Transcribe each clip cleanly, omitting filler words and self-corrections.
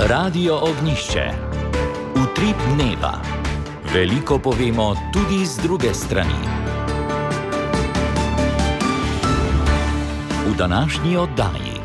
Radio Ognišče. Utrip dneva. Veliko povemo tudi z druge strani. V današnji oddaji.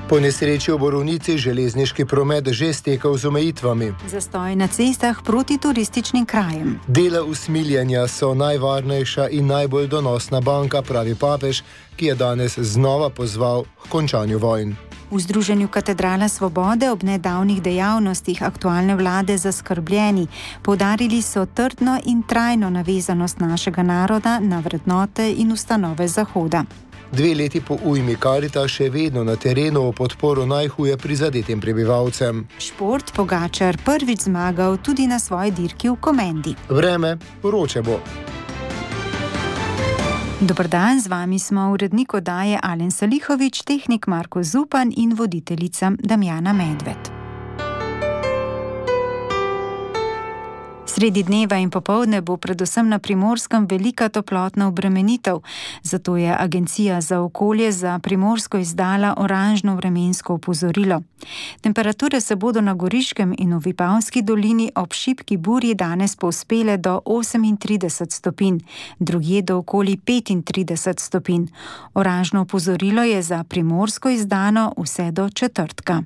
Po nesreči v Borovnici železniški promet že stekel z omejitvami. Zastoj na cestah proti turističnim krajem. Dela usmiljanja so najvarnejša in najbolj donosna banka, pravi papež, ki je danes znova pozval k končanju vojn. V Združenju Katedrala Svobode ob nedavnih dejavnostih aktualne vlade zaskrbljeni. Poudarili so trdno in trajno navezanost našega naroda na vrednote in ustanove Zahoda. 2 leti po ujmi Karita še vedno na terenu v podporo najhuje prizadetim prebivalcem. Šport Pogačar prvič zmagal tudi na svoji dirki v Komendi. Vreme vroče bo. Dober dan, z vami smo urednik oddaje Alen Salihovič, tehnik Marko Zupan in voditeljica Damjana Medved. Sredi dneva in popoldne bo predvsem na Primorskem velika toplotna obremenitev, zato je Agencija za okolje za Primorsko izdala oranžno vremensko opozorilo. Temperature se bodo na Goriškem in v Vipavski dolini ob šibki burji danes povzpele do 38 stopinj, drugje do okoli 35 stopinj. Oranžno opozorilo je za Primorsko izdano vse do četrtka.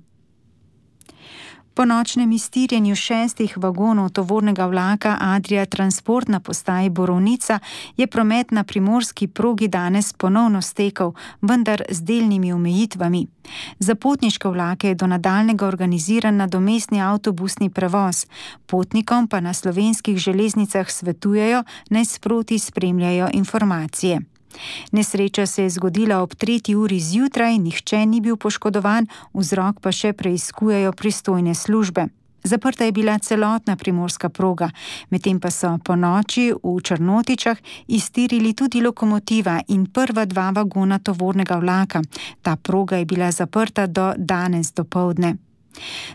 Po nočnem iztirjenju 6 vagonov tovornega vlaka Adria Transport na postaji Borovnica je promet na primorski progi danes ponovno stekel, vendar z delnimi omejitvami. Za potniške vlake je do nadaljnjega organiziran nadomestni avtobusni prevoz. Potnikom pa na slovenskih železnicah svetujejo, naj sproti spremljajo informacije. Nesreča se je zgodila ob 3. uri zjutraj, nihče ni bil poškodovan, vzrok pa še preiskujejo pristojne službe. Zaprta je bila celotna primorska proga, medtem pa so po noči v Črnotičah iztirili tudi lokomotiva in prva 2 vagona tovornega vlaka. Ta proga je bila zaprta do danes dopoldne.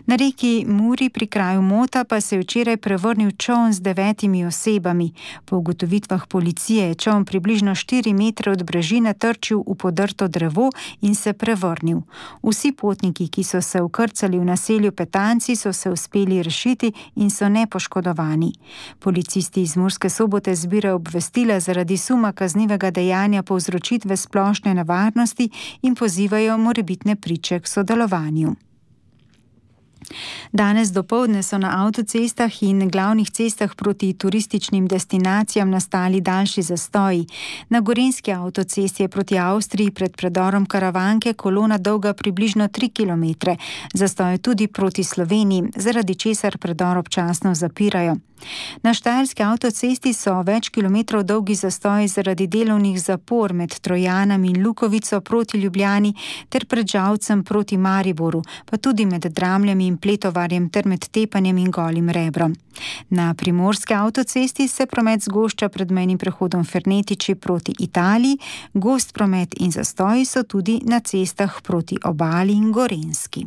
Na reki Muri pri kraju Mota pa se je včeraj prevrnil čoln z 9 osebami. Po ugotovitvah policije je čoln približno 4 metre od brežine trčil v podrto drevo in se prevrnil. Vsi potniki, ki so se vkrcali v naselju Petanci, so se uspeli rešiti in so nepoškodovani. Policisti iz Murske Sobote zbirajo obvestila zaradi suma kaznivega dejanja povzročitve splošne nevarnosti in pozivajo morebitne priče k sodelovanju. Danes dopoldne so na avtocestah in glavnih cestah proti turističnim destinacijam nastali daljši zastoji. Na gorenjski avtocesti je proti Avstriji pred predorom Karavanke kolona dolga približno 3 km. Zastoj je tudi proti Sloveniji, zaradi česar predor občasno zapirajo. Na štajerski avtocesti so več kilometrov dolgi zastoji zaradi delovnih zapor med Trojanom in Lukovico proti Ljubljani ter pred Žalcem proti Mariboru, pa tudi med Dramljem in Pletovarjem ter med Tepanjem in Golim Rebrom. Na primorski avtocesti se promet zgošča pred mejnim prehodom Fernetiči proti Italiji, gost promet in zastoji so tudi na cestah proti Obali in Gorenjski.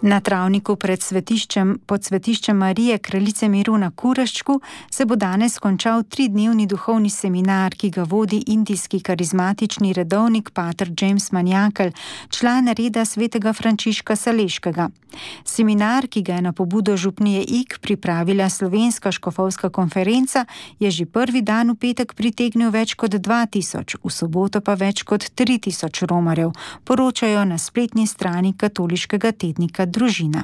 Na travniku pod svetiščem Marije Kraljice miru na Kuraščku se bo danes končal 3-dnevni duhovni seminar, ki ga vodi indijski karizmatični redovnik pater James Manjakel, član reda svetega Frančiška Saleškega. Seminar, ki ga je na pobudo župnije Ig pripravila Slovenska škofovska konferenca, je že prvi dan v petek pritegnil več kot 2000, v soboto pa več kot 3000 romarjev, poročajo na spletni strani katoliškega tednika Družina.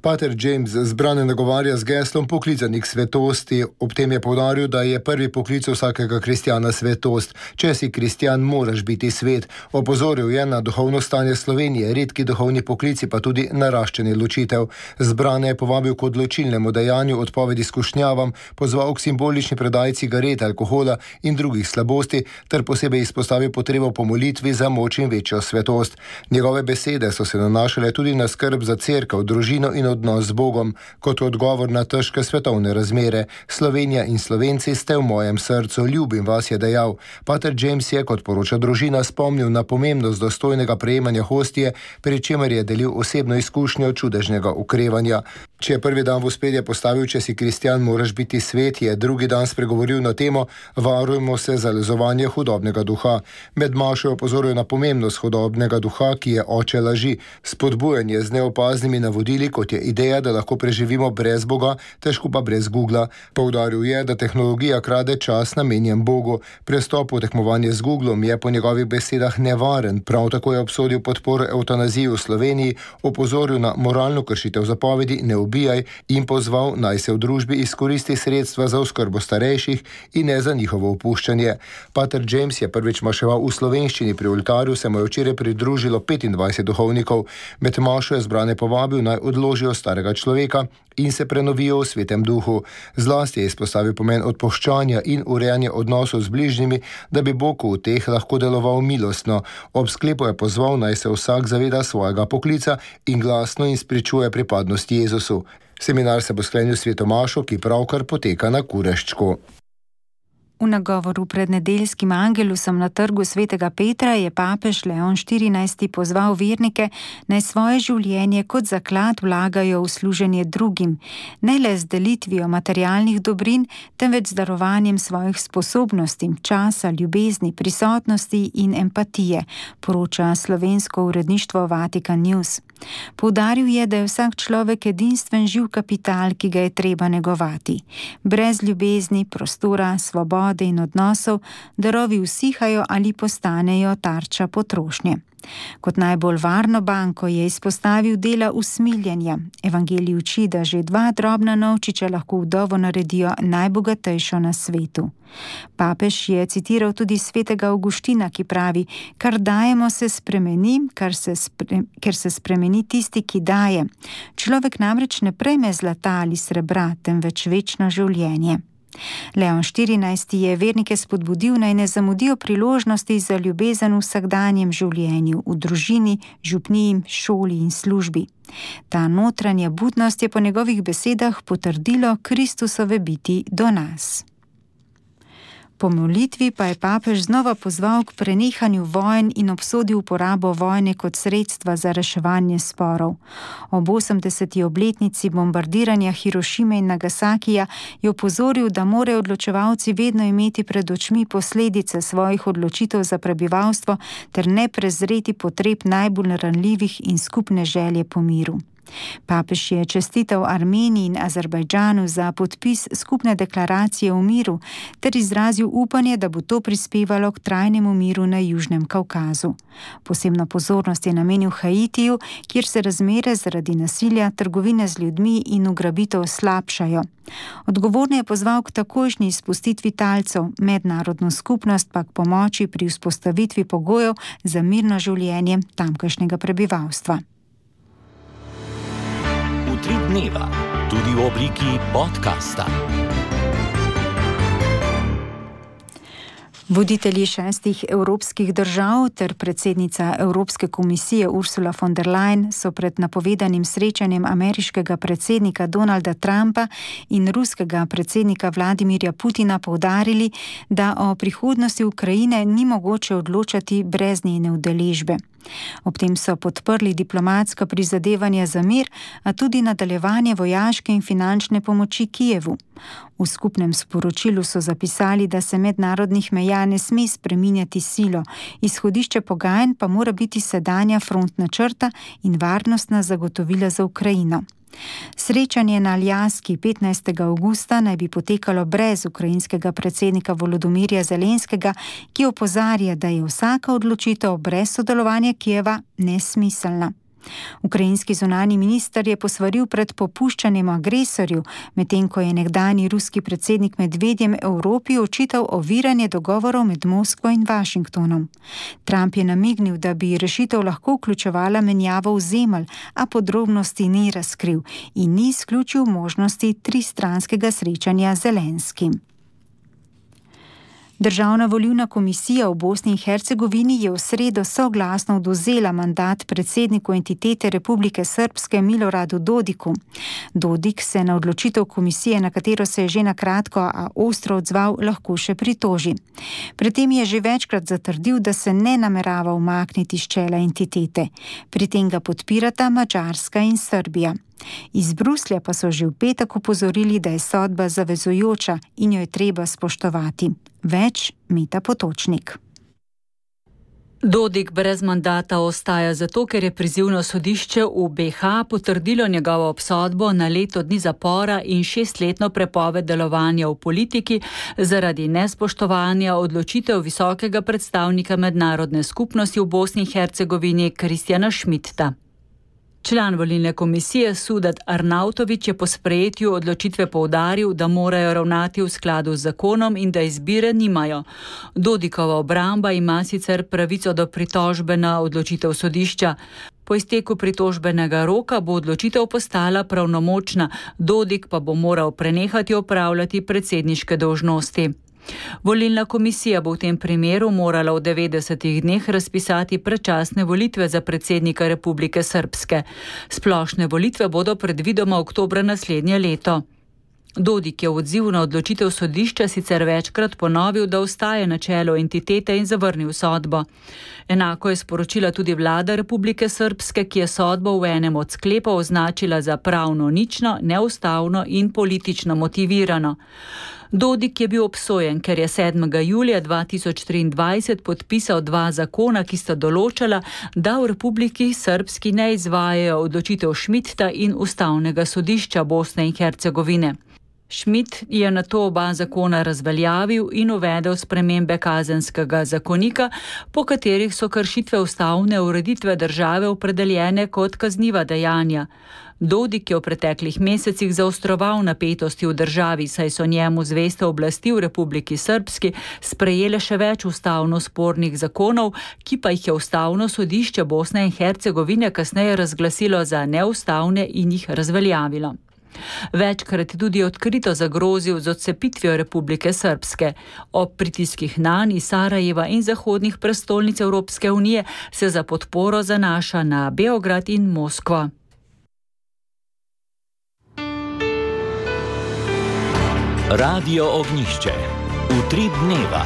Pater James zbrane nagovarja z geslom poklicanih svetosti. Ob tem je poudaril, da je prvi poklic vsakega kristjana svetost. Če si kristjan, moraš biti svet. Opozoril je na duhovno stanje Slovenije, redki duhovni poklici pa tudi naraščanje ločitev. Zbrane je povabil k odločilnemu dejanju odpovedi skušnjavam, pozval k simbolični predaji cigaret, alkohola in drugih slabosti, ter posebej izpostavil potrebo po molitvi za moč in večjo svetost. Njegove besede so se nanašale tudi na skrb za cerkev, družino in odnos z Bogom, kot odgovor na težke svetovne razmere. Slovenija in Slovenci ste v mojem srcu, ljubim vas, je dejal. Pater James je, kot poroča Družina, spomnil na pomembnost dostojnega prejemanja hostije, pri čemer je delil osebno izkušnjo čudežnega okrevanja. Če je prvi dan v ospredje postavil, če si kristjan, moraš biti svet, je drugi dan spregovoril na temo Varujmo se zalezovanje hudobnega duha. Med mašo je opozoril na pomembnost hudobnega duha, ki je oče laži. Spodbujanje z neopaznimi navodili, kot je ideja, da lahko preživimo brez Boga, težko pa brez Googla. Poudaril je, da tehnologija krade čas namenjen Bogu. Prestop v tekmovanje z Googlom je po njegovih besedah nevaren. Prav tako je obsodil podporo evtanaziji v Sloveniji, opozoril na moralno kršitev zapovedi ne ubijaj in pozval, naj se v družbi izkoristi sredstva za oskrbo starejših in ne za njihovo opuščanje. Pater James je prvič maševal v slovenščini, pri oltarju se mu je včeraj pridružilo 25 duhovnikov. Med mašo je zbrane povabil, naj odložijo starega človeka in se prenovijo v svetem duhu. Zlasti je izpostavil pomen odpuščanja in urejanja odnosov z bližnjimi, da bi Bog v teh lahko deloval milostno. Ob sklepu je pozval, naj se vsak zaveda svojega poklica in glasno izpričuje pripadnost Jezusu. Seminar se bo sklenil s sveto mašo, ki pravkar poteka na Kureščku. V nagovoru pred nedeljskim angelusom na trgu svetega Petra je papež Leon XIV pozval vernike, naj svoje življenje kot zaklad vlagajo v služenje drugim, ne le z delitvijo materialnih dobrin, temveč z darovanjem svojih sposobnosti, časa, ljubezni, prisotnosti in empatije, poroča slovensko uredništvo Vatikan News. Poudaril je, da je vsak človek edinstven živ kapital, ki ga je treba negovati. Brez ljubezni, prostora, svobode in odnosov darovi usihajo ali postanejo tarča potrošnje. Kot najbolj varno banko je izpostavil dela usmiljenja. Evangelij uči, da že 2 drobna novčiča lahko vdovo naredijo najbogatejšo na svetu. Papež je citiral tudi svetega Avguština, ki pravi: kar dajemo se spremeni, ker se spremeni tisti, ki daje. Človek namreč ne prejme zlata ali srebra, temveč večno življenje. Leon XIV je vernike spodbudil, naj ne zamudijo priložnosti za ljubezen v vsakdanjem življenju, v družini, župniji, šoli in službi. Ta notranja budnost je po njegovih besedah potrdilo Kristusove biti do nas. Po molitvi pa je papež znova pozval k prenehanju vojn in obsodil uporabo vojne kot sredstva za reševanje sporov. Ob 80. obletnici bombardiranja Hirošime in Nagasakija je opozoril, da morajo odločevalci vedno imeti pred očmi posledice svojih odločitev za prebivalstvo ter ne prezreti potreb najbolj ranljivih in skupne želje po miru. Papež je čestital Armeniji in Azerbajdžanu za podpis skupne deklaracije o miru ter izrazil upanje, da bo to prispevalo k trajnemu miru na Južnem Kavkazu. Posebno pozornost je namenil Haitiju, kjer se razmere zaradi nasilja, trgovine z ljudmi in ugrabitev slabšajo. Odgovorne je pozval k takojšnji izpustitvi talcev, mednarodno skupnost pa k pomoči pri vzpostavitvi pogojev za mirno življenje tamkajšnjega prebivalstva. Utrip dneva, tudi v obliki podcasta. Voditelji 6 evropskih držav ter predsednica Evropske komisije Ursula von der Leyen so pred napovedanim srečanjem ameriškega predsednika Donalda Trumpa in ruskega predsednika Vladimirja Putina poudarili, da o prihodnosti Ukrajine ni mogoče odločati brez njene udeležbe. Ob tem so podprli diplomatska prizadevanja za mir, a tudi nadaljevanje vojaške in finančne pomoči Kijevu. V skupnem sporočilu so zapisali, da se mednarodnih meja ne sme spreminjati silo, izhodišče pogajanj pa mora biti sedanja frontna črta in varnostna zagotovila za Ukrajino. Srečanje na Aljaski 15. avgusta naj bi potekalo brez ukrajinskega predsednika Volodomirja Zelenskega, ki opozarja, da je vsaka odločitev brez sodelovanja Kijeva nesmiselna. Ukrajinski zunanji minister je posvaril pred popuščanjem agresorju, medtem ko je nekdanji ruski predsednik Medvedjem Evropi očital oviranje dogovorov med Moskvo in Washingtonom. Trump je namignil, da bi rešitev lahko vključevala menjavo ozemelj, a podrobnosti ni razkril in ni izključil možnosti tristranskega srečanja z Zelenskim. Državna volilna komisija v Bosni in Hercegovini je v sredo soglasno odvzela mandat predsedniku entitete Republike Srpske Miloradu Dodiku. Dodik se na odločitev komisije, na katero se je že na kratko, a ostro odzval, lahko še pritoži. Pred tem je že večkrat zatrdil, da se ne namerava umakniti s čela entitete. Pri tem ga podpirata Madžarska in Srbija. Iz Bruslja pa so že v petek opozorili, da je sodba zavezujoča in jo je treba spoštovati. Več Meta Potočnik. Dodik brez mandata ostaja zato, ker je prizivno sodišče v BH potrdilo njegovo obsodbo na leto dni zapora in 6-letno prepoved delovanja v politiki zaradi nespoštovanja odločitev visokega predstavnika mednarodne skupnosti v Bosni in Hercegovini Kristjana Schmidta. Član volilne komisije Sudat Arnautović je po sprejetju odločitve poudaril, da morajo ravnati v skladu z zakonom in da izbire nimajo. Dodikova obramba ima sicer pravico do pritožbe na odločitev sodišča. Po izteku pritožbenega roka bo odločitev postala pravnomočna, Dodik pa bo moral prenehati opravljati predsedniške dolžnosti. Volilna komisija bo v tem primeru morala v 90 dneh razpisati predčasne volitve za predsednika Republike Srpske. Splošne volitve bodo predvidoma oktobra naslednje leto. Dodik je v odzivu na odločitev sodišča sicer večkrat ponovil, da ostaje na čelu entitete in zavrnil sodbo. Enako je sporočila tudi vlada Republike Srpske, ki je sodbo v enem od sklepov označila za pravno nično, neustavno in politično motivirano. Dodik je bil obsojen, ker je 7. julija 2023 podpisal 2 zakona, ki sta določala, da v Republiki Srpski ne izvajajo odločitev Schmidta in Ustavnega sodišča Bosne in Hercegovine. Schmidt je nato oba zakona razveljavil in uvedel spremembe kazenskega zakonika, po katerih so kršitve ustavne ureditve države opredeljene kot kazniva dejanja. Dodik je v preteklih mesecih zaostroval napetosti v državi, saj so njemu zveste oblasti v Republiki Srpski sprejele še več ustavno spornih zakonov, ki pa jih je Ustavno sodišče Bosne in Hercegovine kasneje razglasilo za neustavne in jih razveljavilo. Večkrat je tudi odkrito zagrozil z odcepitvijo Republike Srpske. Ob pritiskih nanj iz Sarajeva in zahodnih prestolnic Evropske unije se za podporo zanaša na Beograd in Moskvo. Radio Ognjišče. Utrip dneva.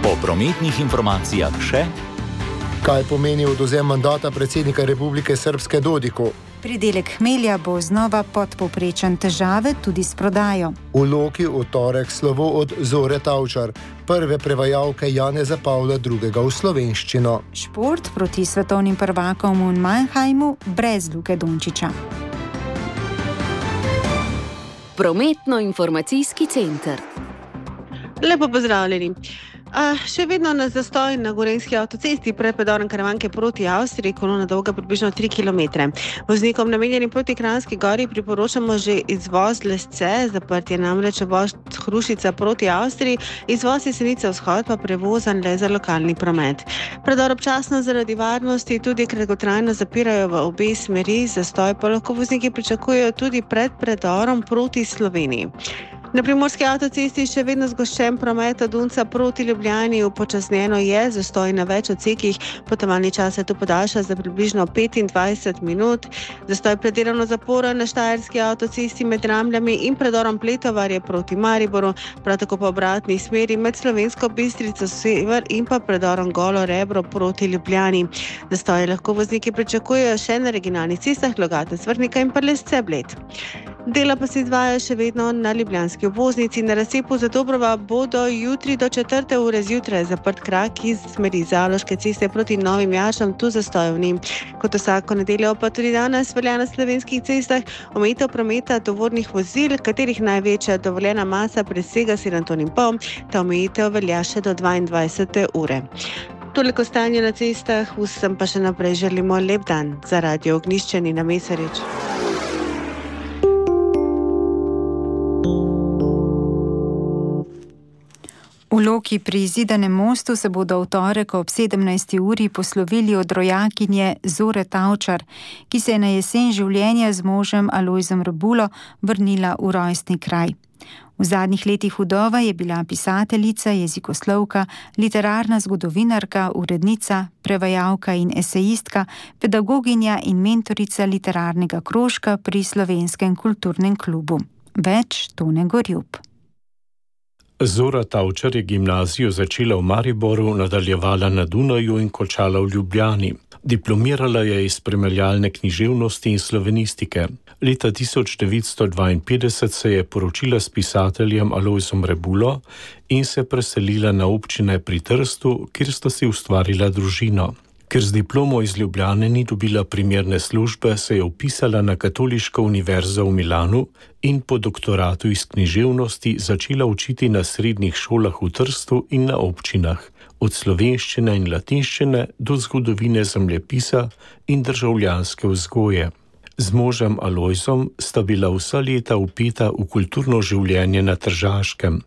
Po prometnih informacijah še: kaj pomeni odvzem mandata predsednika Republike Srpske Dodiku? Pridelek hmelja bo znova podpovprečen, težave tudi s prodajo. V Loki v torek slovo od Zore Tavčar, prve prevajalke Janeza Pavla II. V slovenščino. Šport proti svetovnim prvakom v Mannheimu brez Luke Dončića. Prometno-informacijski center. Lepo pozdravljeni. Še vedno na zastoj na Gorenjski avtocesti pred predorom Karavanke proti Avstriji, kolona dolga približno 3 km. Voznikom namenjenim proti Kranjski gori priporočamo že izvoz Lesce, zaprt je namreč obvoz Hrušica proti Avstriji, izvoz Jesenice vzhod pa prevozan le za lokalni promet. Predor občasno zaradi varnosti tudi kratkotrajno zapirajo v obe smeri, zastoj pa lahko vozniki pričakujejo tudi pred predorom proti Sloveniji. Na Primorski avtocesti še vedno zgoščen promet od Dunca proti Ljubljani, upočasnjeno je, zastoj na več odsekih, potovalni čas se tu podaljša za približno 25 minut. Zastoj predelovno zaporen na Štajerski avtocesti med Ramljami in predorom Pletovarje proti Mariboru, prav tako po obratni smeri med Slovensko Bistrico sever in pa predorom Golo Rebro proti Ljubljani. Zastoj lahko vozniki pričakujejo še na regionalnih cestah Logatec, Vrhnika in pa Lesce Bled. Dela pa se izvajajo še vedno na ljubljanski obvoznici. Na razcepu za Dobrova bodo jutri do 4. ure zjutraj zaprt krak iz smeri Zaloške ceste proti Novim Jašam, tu zastojev ni. Kot vsako nedeljo pa tudi danes velja na slovenskih cestah omejitev prometa tovornih vozil, katerih največja dovoljena masa presega 7,5 ton. Ta omejitev velja še do 22. ure. Toliko stanje na cestah, vsem pa še naprej želimo lep dan. Za Radio Ognjišče Nina Mesarič. V Loki pri Zidanem mostu se bodo v torek ob 17. uri poslovili od rojakinje Zore Tavčar, ki se je na jesen življenja z možem Alojzom Rebulo vrnila v rojstni kraj. V zadnjih letih vdova je bila pisateljica, jezikoslovka, literarna zgodovinarka, urednica, prevajalka in esejistka, pedagoginja in mentorica literarnega krožka pri Slovenskem kulturnem klubu. Več Tone Gorjup. Zora Tavčar je gimnazijo začela v Mariboru, nadaljevala na Dunaju in končala v Ljubljani. Diplomirala je iz primerjalne književnosti in slovenistike. Leta 1952 se je poročila s pisateljem Alojzom Rebulo in se preselila na občine pri Trstu, kjer sta si ustvarila družino. Ker z diplomo iz Ljubljane ni dobila primerne službe, se je vpisala na Katoliško univerzo v Milanu in po doktoratu iz književnosti začela učiti na srednjih šolah v Trstu in na občinah, od slovenščine in latinščine do zgodovine zemljepisa in državljanske vzgoje. Z možem Alojzom sta bila vsa leta vpeta v kulturno življenje na Tržaškem.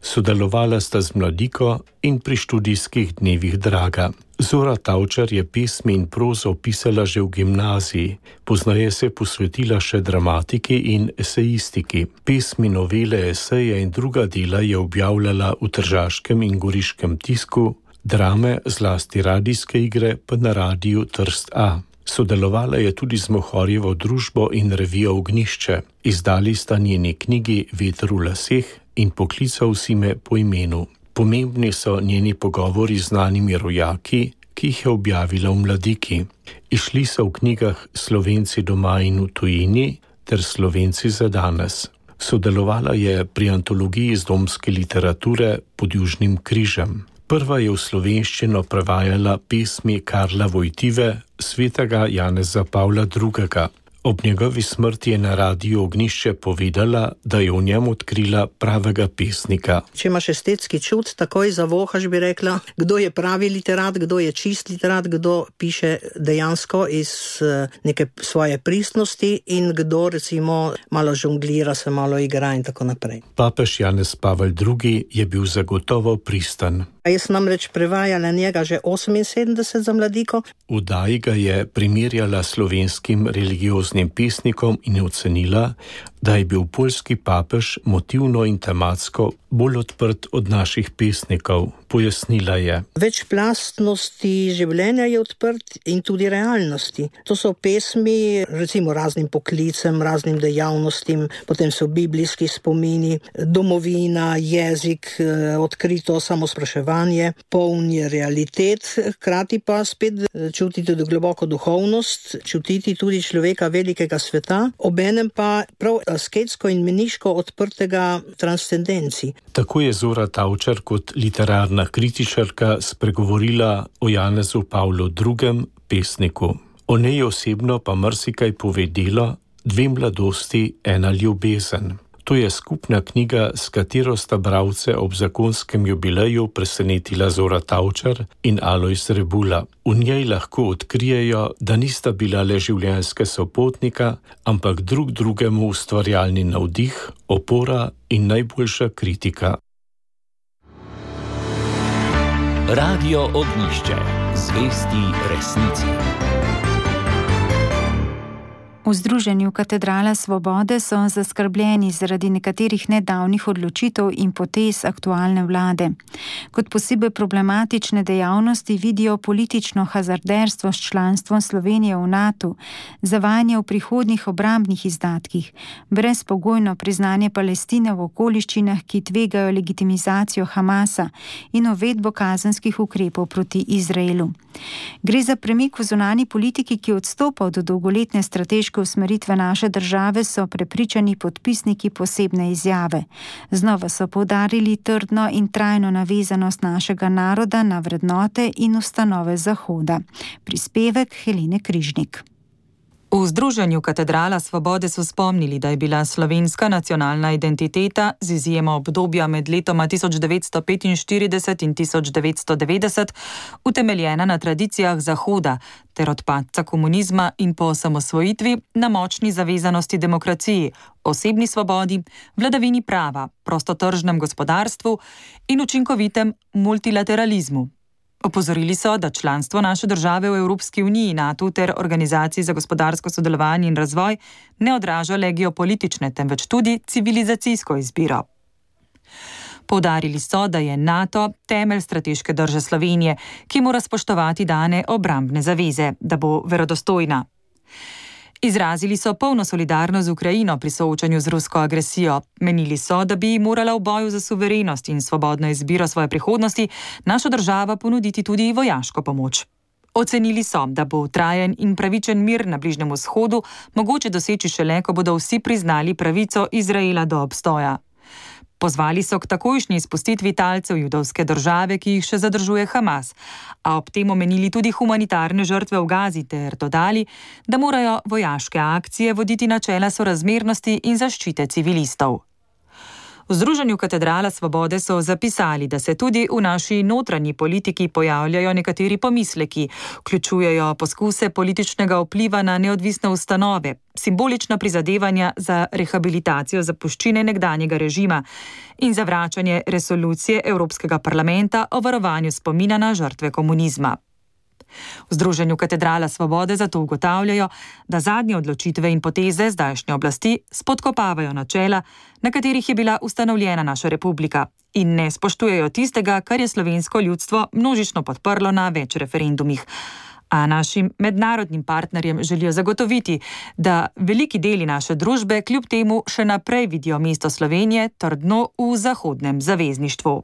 Sodelovala sta z Mladiko in pri študijskih dnevih Draga. Zora Tavčar je pesmi in prozo pisala že v gimnaziji, poznaje se posvetila še dramatiki in esejistiki. Pesmi, novele, eseje in druga dela je objavljala v tržaškem in goriškem tisku, drame, zlasti radijske igre, pa na radiju Trst A. Sodelovala je tudi z Mohorjevo družbo in revijo Ognjišče. Izdali sta njeni knjigi Veter v laseh in Poklical si me po imenu. Pomembni so njeni pogovori z znanimi rojaki, ki jih je objavila v Mladiki. Išli so v knjigah Slovenci doma in v tujini ter Slovenci za danes. Sodelovala je pri antologiji iz domske literature Pod Južnim križem. Prva je v slovenščino prevajala pesmi Karla Vojtive, svetega Janeza Pavla II. Ob njegovi smrti je na radiju Ognjišče povedala, da je v njem odkrila pravega pesnika. Če imaš estetski čut, takoj zavohaš, bi rekla, kdo je pravi literat, kdo je čist literat, kdo piše dejansko iz neke svoje pristnosti in kdo recimo malo žonglira, se malo igra in tako naprej. Papež Janez Pavel II. Je bil zagotovo pristan. Jaz sem namreč prevajala njega že 78 za Mladiko. V Daji ga je primerjala slovenskim religioznim pesnikom in ocenila, da je bil poljski papež motivno in tematsko bolj odprt od naših pesnikov. Pojasnila je. Večplastnosti življenja je odprt in tudi realnosti. To so pesmi recimo raznim poklicem, raznim dejavnostim, potem so biblijski spomini, domovina, jezik, odkrito samospraševanje, poln je realitet, hkrati pa spet čutiti tudi globoko duhovnost, čutiti tudi človeka velikega sveta, obenem pa prav asketsko in meniško odprtega transcendenci. Tako je Zora Tavčar kot literarna kritičarka spregovorila o Janezu Pavlu II. Pesniku. O njej osebno pa marsikaj pove delo Dve mladosti, ena ljubezen. To je skupna knjiga, s katero sta bralce ob zakonskem jubileju presenetila Zora Tavčar in Alojz Rebula. V njej lahko odkrijejo, da nista bila le življenjska sopotnika, ampak drug drugemu ustvarjalni navdih, opora in najboljša kritika. Radio Ognjišče. Zvesti resnici. V Združenju Katedrala Svobode so zaskrbljeni zaradi nekaterih nedavnih odločitev in potez aktualne vlade. Kot posebej problematične dejavnosti vidijo politično hazarderstvo s članstvom Slovenije v NATO, zavajanje v prihodnjih obrambnih izdatkih, brezpogojno priznanje Palestine v okoliščinah, ki tvegajo legitimizacijo Hamasa in uvedbo kazenskih ukrepov proti Izraelu. Gre za premik v zunanji politiki, ki odstopa od dolgoletne strateške usmeritve naše države, so prepričani podpisniki posebne izjave. Znova so poudarili trdno in trajno navezanost našega naroda na vrednote in ustanove Zahoda. Prispevek Helene Križnik. V Združenju Katedrala Svobode so spomnili, da je bila slovenska nacionalna identiteta z izjemo obdobja med letoma 1945 in 1990 utemeljena na tradicijah Zahoda ter od padca komunizma in po osamosvojitvi na močni zavezanosti demokraciji, osebni svobodi, vladavini prava, prostotržnem gospodarstvu in učinkovitem multilateralizmu. Opozorili so, da članstvo naše države v Evropski uniji, NATO ter Organizaciji za gospodarsko sodelovanje in razvoj ne odraža le geopolitične, temveč tudi civilizacijsko izbiro. Poudarili so, da je NATO temelj strateške drže Slovenije, ki mora spoštovati dane obrambne zaveze, da bo verodostojna. Izrazili so polno solidarnost z Ukrajino pri soočanju z rusko agresijo. Menili so, da bi morala v boju za suverenost in svobodno izbiro svoje prihodnosti naša država ponuditi tudi vojaško pomoč. Ocenili so, da bo trajen in pravičen mir na Bližnjem vzhodu mogoče doseči šele, ko bodo vsi priznali pravico Izraela do obstoja. Pozvali so k takojšnji izpustitvi talcev judovske države, ki jih še zadržuje Hamas, a ob tem omenili tudi humanitarne žrtve v Gazi ter dodali, da morajo vojaške akcije voditi načela sorazmernosti in zaščite civilistov. V Združenju Katedrala svobode so zapisali, da se tudi v naši notranji politiki pojavljajo nekateri pomisleki, vključujejo poskuse političnega vpliva na neodvisne ustanove, simbolična prizadevanja za rehabilitacijo zapuščine nekdanjega režima in zavračanje resolucije Evropskega parlamenta o varovanju spomina na žrtve komunizma. V Združenju Katedrala svobode zato ugotavljajo, da zadnje odločitve in poteze zdajšnje oblasti spodkopavajo načela, na katerih je bila ustanovljena naša republika, in ne spoštujejo tistega, kar je slovensko ljudstvo množično podprlo na več referendumih. A našim mednarodnim partnerjem želijo zagotoviti, da veliki deli naše družbe kljub temu še naprej vidijo mesto Slovenije trdno v zahodnem zavezništvu.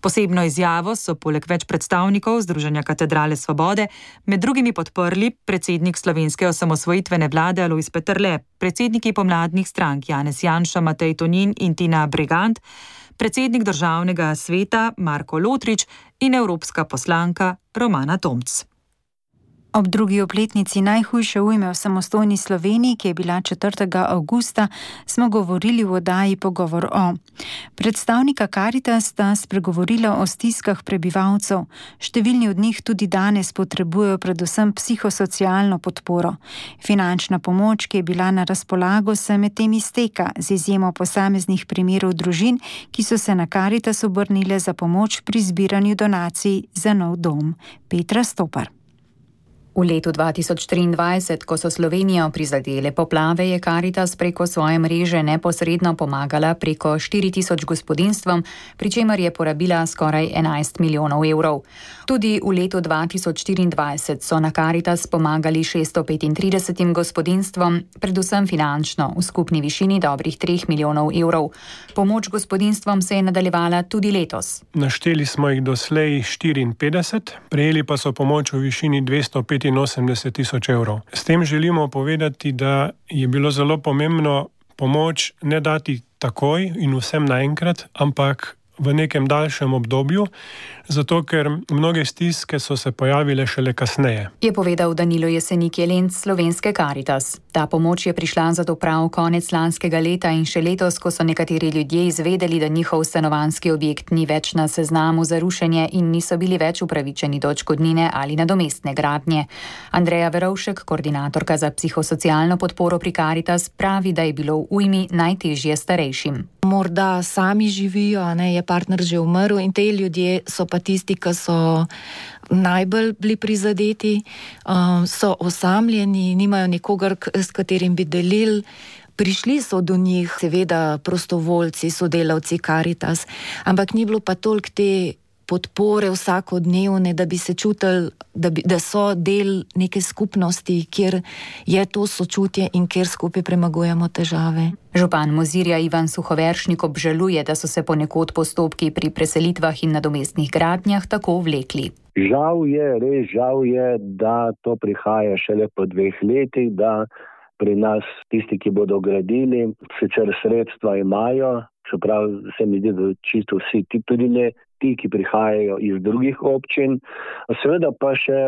Posebno izjavo so poleg več predstavnikov Združenja Katedrale svobode med drugimi podprli predsednik slovenske osamosvojitvene vlade Alojz Peterle, predsedniki pomladnih strank Janez Janša, Matej Tonin in Tina Bregant, predsednik državnega sveta Marko Lotrič in evropska poslanka Romana Tomc. Ob drugi obletnici najhujše ujme v samostojni Sloveniji, ki je bila 4. avgusta, smo govorili v oddaji Pogovor o. Predstavnika Karitas sta spregovorila o stiskah prebivalcev. Številni od njih tudi danes potrebujejo predvsem psihosocialno podporo. Finančna pomoč, ki je bila na razpolago, se medtem izteka, z izjemo posameznih primerov družin, ki so se na Karitas obrnile za pomoč pri zbiranju donacij za nov dom. Petra Stopar. V letu 2023, ko so Slovenijo prizadele poplave, je Karitas preko svoje mreže neposredno pomagala preko 4000 gospodinjstvom, pri čemer je porabila skoraj 11 milijonov evrov. Tudi v letu 2024 so na Karitas pomagali 635 gospodinjstvom, predvsem finančno, v skupni višini dobrih 3 milijonov evrov. Pomoč gospodinjstvom se je nadaljevala tudi letos. Našteli smo jih doslej 54, prejeli pa so pomoč v višini 285 tisoč evrov. S tem želimo povedati, da je bilo zelo pomembno pomoč ne dati takoj in vsem naenkrat, ampak v nekem daljšem obdobju, zato ker mnoge stiske so se pojavile šele kasneje. Je povedal Danilo Jesenik Jelenc slovenske Karitas. Ta pomoč je prišla zato prav konec lanskega leta in še letos, ko so nekateri ljudje izvedeli, da njihov stanovanjski objekt ni več na seznamu za rušenje in niso bili več upravičeni do odškodnine ali nadomestne gradnje. Andreja Verovšek, koordinatorka za psihosocialno podporo pri Karitas, pravi, da je bilo v ujmi najtežje starejšim. Morda sami živijo, je partner že umrl in te ljudje so pa tisti, ki so najbolj bili prizadeti, so osamljeni, nimajo nikogar, s katerim bi delili. Prišli so do njih seveda prostovoljci, sodelavci Karitas, ampak ni bilo pa toliko te podpore vsakodnevne, da bi se čutili, da so del neke skupnosti, kjer je to sočutje in kjer skupaj premagujemo težave. Župan Mozirja Ivan Suhoveršnik obžaluje, da so se ponekod postopki pri preselitvah in nadomestnih gradnjah tako vlekli. Res žal je, da to prihaja šele po 2 letih, da pri nas tisti, ki bodo gradili, sicer sredstva imajo, čeprav se mi zdi, da čisto vsi, tudi ne ti, ki prihajajo iz drugih občin, seveda pa še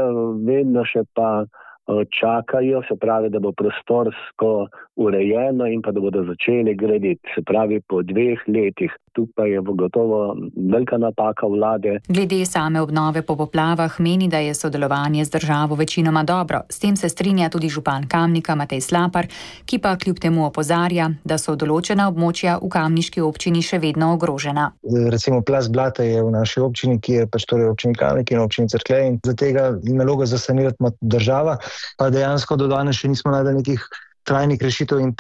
vedno še pa čakajo, se pravi, da bo prostorsko urejeno in pa da bodo začeli graditi, se pravi po 2 letih. Tukaj je gotovo velika napaka vlade. Glede same obnove po poplavah meni, da je sodelovanje z državo večinoma dobro. S tem se strinja tudi župan Kamnika Matej Slapar, ki pa kljub temu opozarja, da so določena območja v kamniški občini še vedno ogrožena. Recimo plast blata je v naši občini, ki je pač torej občini Kamnik in občini Cerklje in za tega nalogo za sanirati ima država, pa dejansko do danes še nismo našli nekih trajnih rešitev in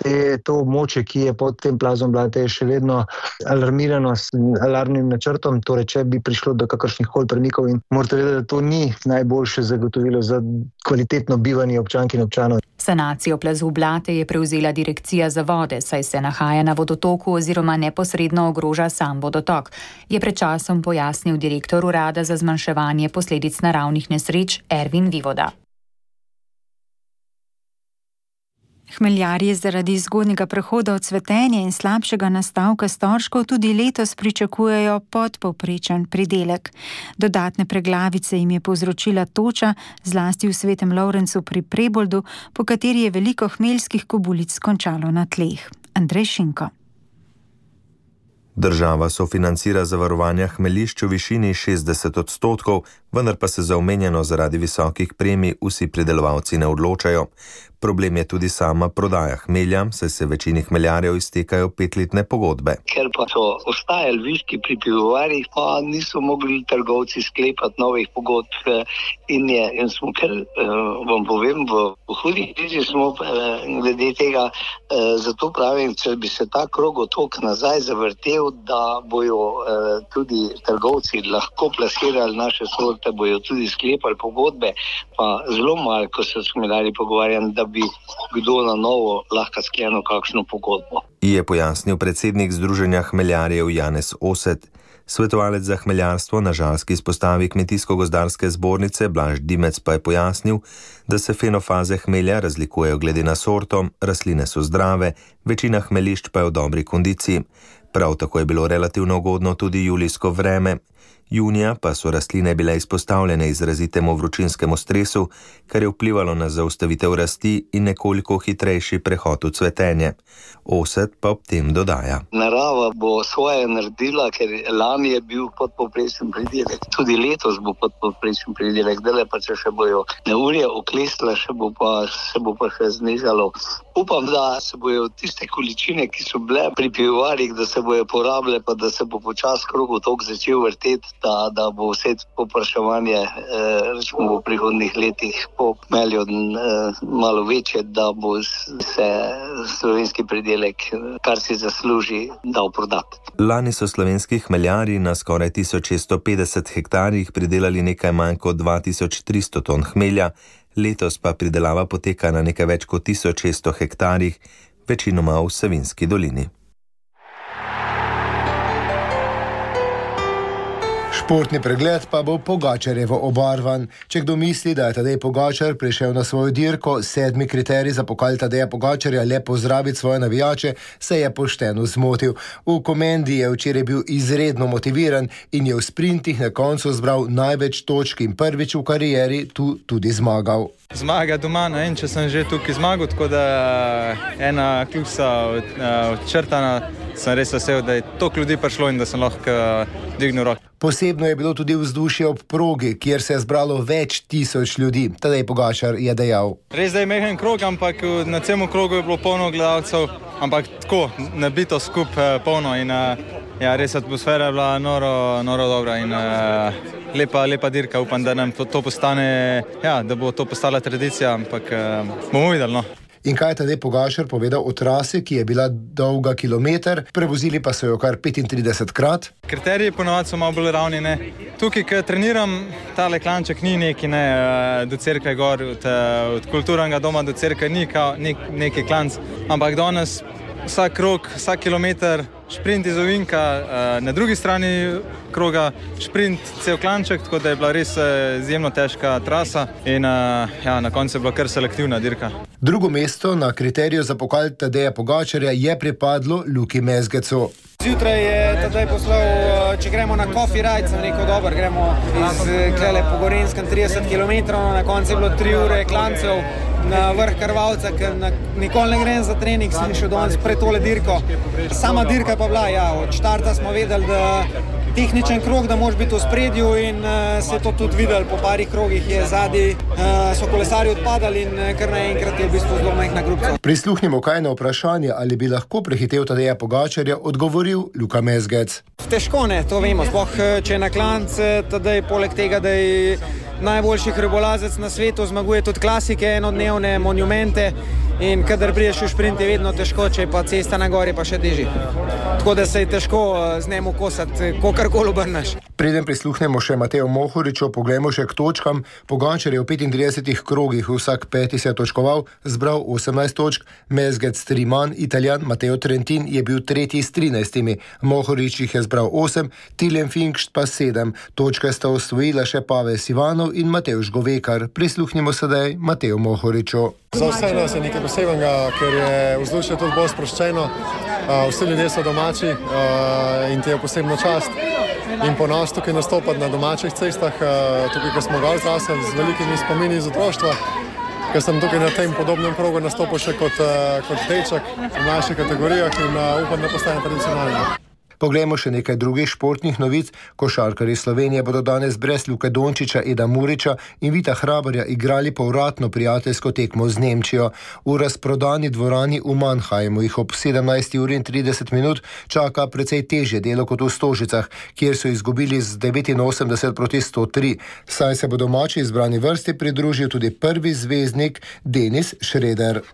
to območje, ki je pod tem plazom blata, je še vedno alarmirano s alarmnim načrtom, torej če bi prišlo do kakršnih koli premikov in morate vedeti, da to ni najboljše zagotovilo za kvalitetno bivanje občank in občanov. Sanacijo plazu Blate je prevzela Direkcija za vode, saj se nahaja na vodotoku oziroma neposredno ogroža sam vodotok, je pred časom pojasnil direktor Urada za zmanjševanje posledic naravnih nesreč Ervin Vivoda. Hmeljarji zaradi zgodnjega prehoda od cvetenja in slabšega nastavka storžkov tudi letos pričakujejo podpovprečen pridelek. Dodatne preglavice jim je povzročila toča, zlasti v Svetem Lovrencu pri Preboldu, po kateri je veliko hmeljskih kobulic končalo na tleh. Andrej Šinko. Država sofinancira zavarovanja hmeljišč v višini 60%, vendar pa se za omenjeno zaradi visokih premij vsi pridelovalci ne odločajo. Problem je tudi sama prodaja hmelja, saj se večini hmeljarjev iztekajo 5-letne pogodbe. Ker pa so ostajali viški pri pivovarjih, pa niso mogli trgovci sklepati novih pogodb in smo, ker vam povem, v hudi krizi smo glede tega, zato pravim, če bi se ta krogotok nazaj zavrtel, da bojo tudi trgovci lahko plasirali naše sorte, bojo tudi sklepali pogodbe, pa zelo malo, ko se s hmeljarji pogovarjam, da bi kdo na novo lahko sklenil kakšno pogodbo. Je pojasnil predsednik Združenja hmeljarjev Janez Oset. Svetovalec za hmeljarstvo na žalski izpostavi Kmetijsko-gozdarske zbornice Blaž Dimec pa je pojasnil, da se fenofaze hmelja razlikujejo glede na sorto, rastline so zdrave, večina hmeljišč pa je v dobri kondiciji. Prav tako je bilo relativno ugodno tudi julijsko vreme. Junija pa so rastline bile izpostavljene izrazitemu vročinskemu stresu, kar je vplivalo na zaustavitev rasti in nekoliko hitrejši prehod v cvetenje. Oset pa ob tem dodaja. Narava bo svoje naredila, ker lani je bil podpovprečen pridelek. Tudi letos bo podpovprečen pridelek, dele pa če še bojo neurje oklestile, se bo pa še znižalo. Upam, da se bojo tiste količine, ki so bile pri pivovarjih, da se bojo porabile, pa da se bo počas krogotok začel vrteti, da bo vse popraševanje v prihodnih letih po hmelju malo večje, da bo se slovenski pridelek, kar si zasluži, dal prodati. Lani so slovenski hmeljarji na skoraj 1650 hektarjih pridelali nekaj manj kot 2300 ton hmelja, letos pa pridelava poteka na nekaj več kot 1600 hektarjih, večinoma v Savinjski dolini. Športni pregled pa bo Pogačarjevo obarvan. Če kdo misli, da je Tadej Pogačar prišel na svojo dirko, 7. kriterij za pokal Tadeja Pogačarja le pozdraviti svoje navijače, se je pošteno zmotil. V Komendi je včeraj bil izredno motiviran in je v sprintih na koncu zbral največ točk in prvič v karieri tu tudi zmagal. Zmaga doma, če sem že tukaj zmagal, tako da ena kljusa odčrtana, sem res vesel, da je toliko ljudi prišlo in da sem lahko dvignil roko. Posebno je bilo tudi vzdušje ob progi, kjer se je zbralo več tisoč ljudi. Tadej Pogačar je dejal. Res da je mehen krog, ampak na celem krogu je bilo polno gledalcev, ampak tako, nabito skupaj polno in res atmosfera je bila noro dobra in lepa dirka. Upam, da nam to postane, da bo to postala tradicija, ampak bomo videli, no. In kaj je Tadej Pogačar povedal o trasi, ki je bila dolga kilometer, prevozili pa so jo kar 35-krat? Kriteriji ponovadi so malo bolj ravni, ne. Tukaj, ko treniram, tale klanček ni neki, ne, do cerkve gor, od kulturnega doma do cerkve ni neki klanc, ampak danes vsak krog, vsak kilometer, šprint iz ovinka, na drugi strani kroga šprint cel klanček, tako da je bila res izjemno težka trasa in na koncu je bila kar selektivna dirka. Drugo mesto na kriteriju za pokal Tadeja Pogačarja je pripadlo Luki Mezgecu. Zjutraj je Tadej poslal, če gremo na coffee ride, sem rekel, dobro, gremo iz Klele po Gorenskem 30 km, na koncu je bilo 3 ure klancev na vrh Krvavca, ker nikoli ne grem za trening, sem šel danes pred tole dirko. Sama dirka pa bila, od štarta smo vedeli, da tehničen krog, da moraš biti v spredju in se je to tudi videli, po parih krogih je zadnji, so kolesarji odpadali in kar naenkrat je v bistvu zelo majhna grupca. Prisluhnimo kaj na vprašanje, ali bi lahko prehitev Tadeja Pogačarja, odgovoril Luka Mezgec. Težko ne, to vemo, sploh če je na klanc, Tadej poleg tega, da je najboljši hribolazec na svetu, zmaguje tudi klasike, enodnevne monumente in kadar priješ v šprint je vedno težko, če je pa cesta na gori pa še težji. Tako da se je težko z njemu kosati, kogarkoli obrneš. Preden prisluhnemo še Mateju Mohoriču, poglejmo še k točkam. Pogačar je v 35 krogih vsak peti se točkoval, zbral 18 točk, mezgec 3 manj, Italijan Matteo Trentin je bil tretji s 13. Mohorič jih je zbral 8, Tilem Finkšt pa 7. Točke sta osvojila še Pavel Sivanov in Matevž Govekar. Prisluhnimo sedaj Mateju Mohoriču. Za vse nas je nekaj posebnega, ker je vzdušje tudi bolj sproščeno. Vsi ljudje so domači in ti je posebno čast in ponos tukaj nastopati na domačih cestah, tukaj, ko smo ga odrasli z velikimi spomini iz otroštva, ker sem tukaj na tem podobnem krogu nastopil še kot deček v mlajših kategorijah in upam, da postane tradicionalno. Poglejmo še nekaj drugih športnih novic. Košarkarji Slovenije bodo danes brez Luke Dončića, Eda Murića in Vita Hrabarja igrali povratno prijateljsko tekmo z Nemčijo. V razprodani dvorani v Mannheimu jih ob 17:30 čaka precej težje delo kot v Stožicah, kjer so izgubili z 89-103. Saj se bo domači izbrani vrsti pridružil tudi prvi zvezdnik Denis Šreder.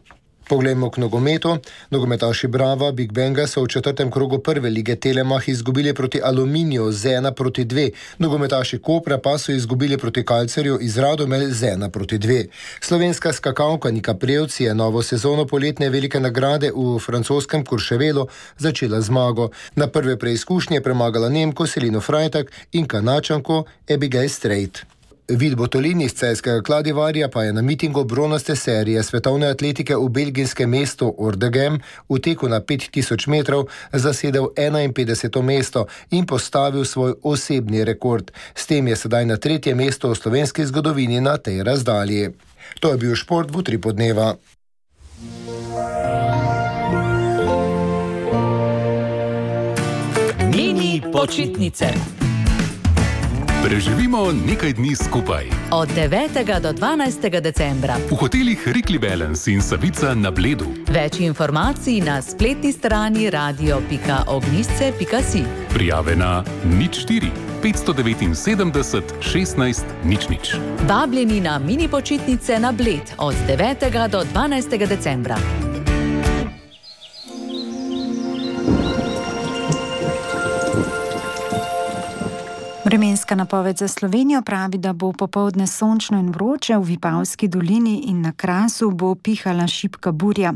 Poglejmo k nogometu. Nogometaši Brava Big Banga so v 4. krogu prve lige Telemach izgubili proti Aluminiju z 1-2. Nogometaši Kopra pa so izgubili proti Kalcerju iz Radomelj z 1-2. Slovenska skakalka Nika Prevc je novo sezono poletne velike nagrade v francoskem Courchevelu začela zmago. Na prve preizkušnje premagala Nemko Selino Freitag in Kanačanko Abigail Strait. Vid Botolini iz celjskega Kladivarja pa je na mitingu bronaste serije svetovne atletike v belgijskem mestu Ordegem v teku na 5000 metrov zasedel 51. mesto in postavil svoj osebni rekord. S tem je sedaj na 3. mesto v slovenski zgodovini na tej razdalji. To je bil šport v Utripu dneva. Mini počitnice. Preživimo nekaj dni skupaj. Od 9. do 12. decembra. V hotelih Rikli Balance in Savica na Bledu. Več informacij na spletni strani radio.ognisce.si. Prijave na 04 579 16 00. Vabljeni na mini počitnice na Bled od 9. do 12. decembra. Vremenska napoved za Slovenijo pravi, da bo popoldne sončno in vroče, v Vipavski dolini in na Krasu bo pihala šibka burja.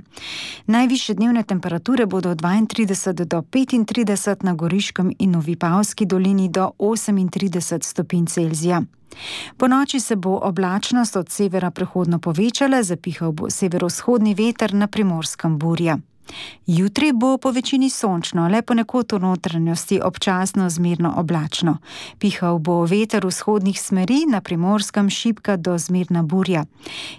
Najvišje dnevne temperature bodo od 32 do 35, na Goriškem in v Vipavski dolini do 38 stopinj Celzija. Po noči se bo oblačnost od severa prehodno povečala, zapihal bo severovzhodni veter, na Primorskem burja. Jutri bo po večini sončno, le ponekod v notranjosti občasno zmerno oblačno. Pihal bo veter vzhodnih smeri, na Primorskem šibka do zmerna burja.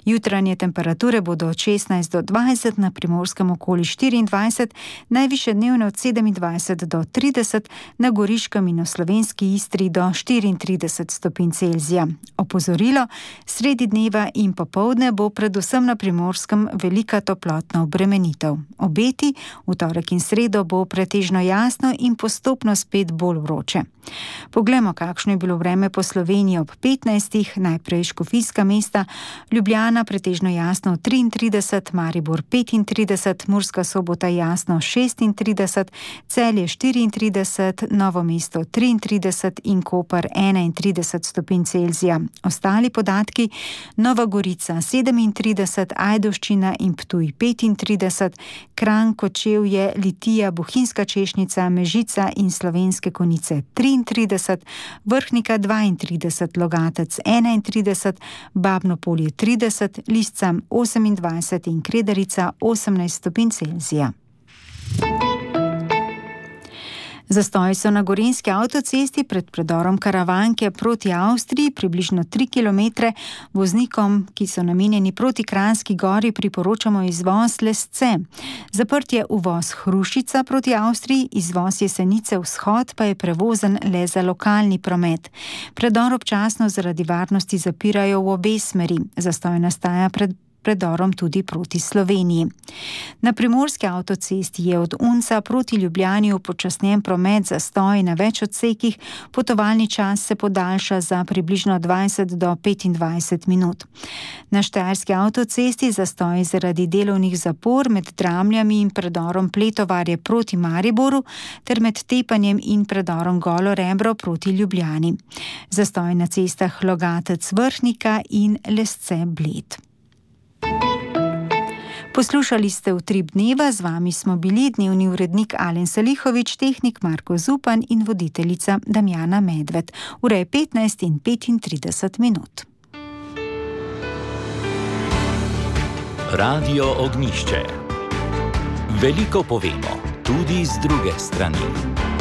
Jutranje temperature bodo od 16 do 20, na Primorskem okoli 24, najvišje dnevne od 27 do 30, na Goriškem in v slovenski Istri do 34 stopinj Celzija. Opozorilo, sredi dneva in popoldne bo predvsem na Primorskem velika toplotna obremenitev. Obeti, v torek in sredo bo pretežno jasno in postopno spet bolj vroče. Poglejmo, kakšno je bilo vreme po Sloveniji ob 15. Najprej Škofijska mesta, Ljubljana pretežno jasno 33, Maribor 35, Murska Sobota jasno 36, Celje 34, Novo mesto 33 in Koper 31 stopinj Celzija. Ostali podatki: Nova Gorica 37, Ajdovščina in Ptuj 35, Kranj, Kočevje, Litija, Bohinjska Češnica, Mežica in Slovenske Konjice 33, Vrhnika 32, Logatec 31, Babno Polje 30, Liscam 28 in Kredarica 18 stopinj Celzija. Zastoji so na Gorenjski avtocesti pred predorom Karavanke proti Avstriji, približno 3 km. Voznikom, ki so namenjeni proti Kranjski Gori, priporočamo izvoz Lesce. Zaprt je uvoz Hrušica proti Avstriji, izvoz Jesenice vzhod pa je prevozen le za lokalni promet. Predor občasno zaradi varnosti zapirajo v obe smeri. Zastoj nastaja predorom tudi proti Sloveniji. Na primorski avtocesti je od Unca proti Ljubljani upočasnjen promet, zastoj na več odsekih, potovalni čas se podaljša za približno 20 do 25 minut. Na štajerski avtocesti zastoj zaradi delovnih zapor med Dramljami in predorom Pletovarje proti Mariboru ter med Tepanjem in predorom Golo Rebro proti Ljubljani. Zastoj na cestah Logatec Vrhnika in Lesce Bled. Poslušali ste Utrip dneva, z vami smo bili dnevni urednik Alen Salihovič, tehnik Marko Zupan in voditeljica Damjana Medved. Ura je 15:35 minut. Radio Ognjišče. Veliko povemo, tudi z druge strani.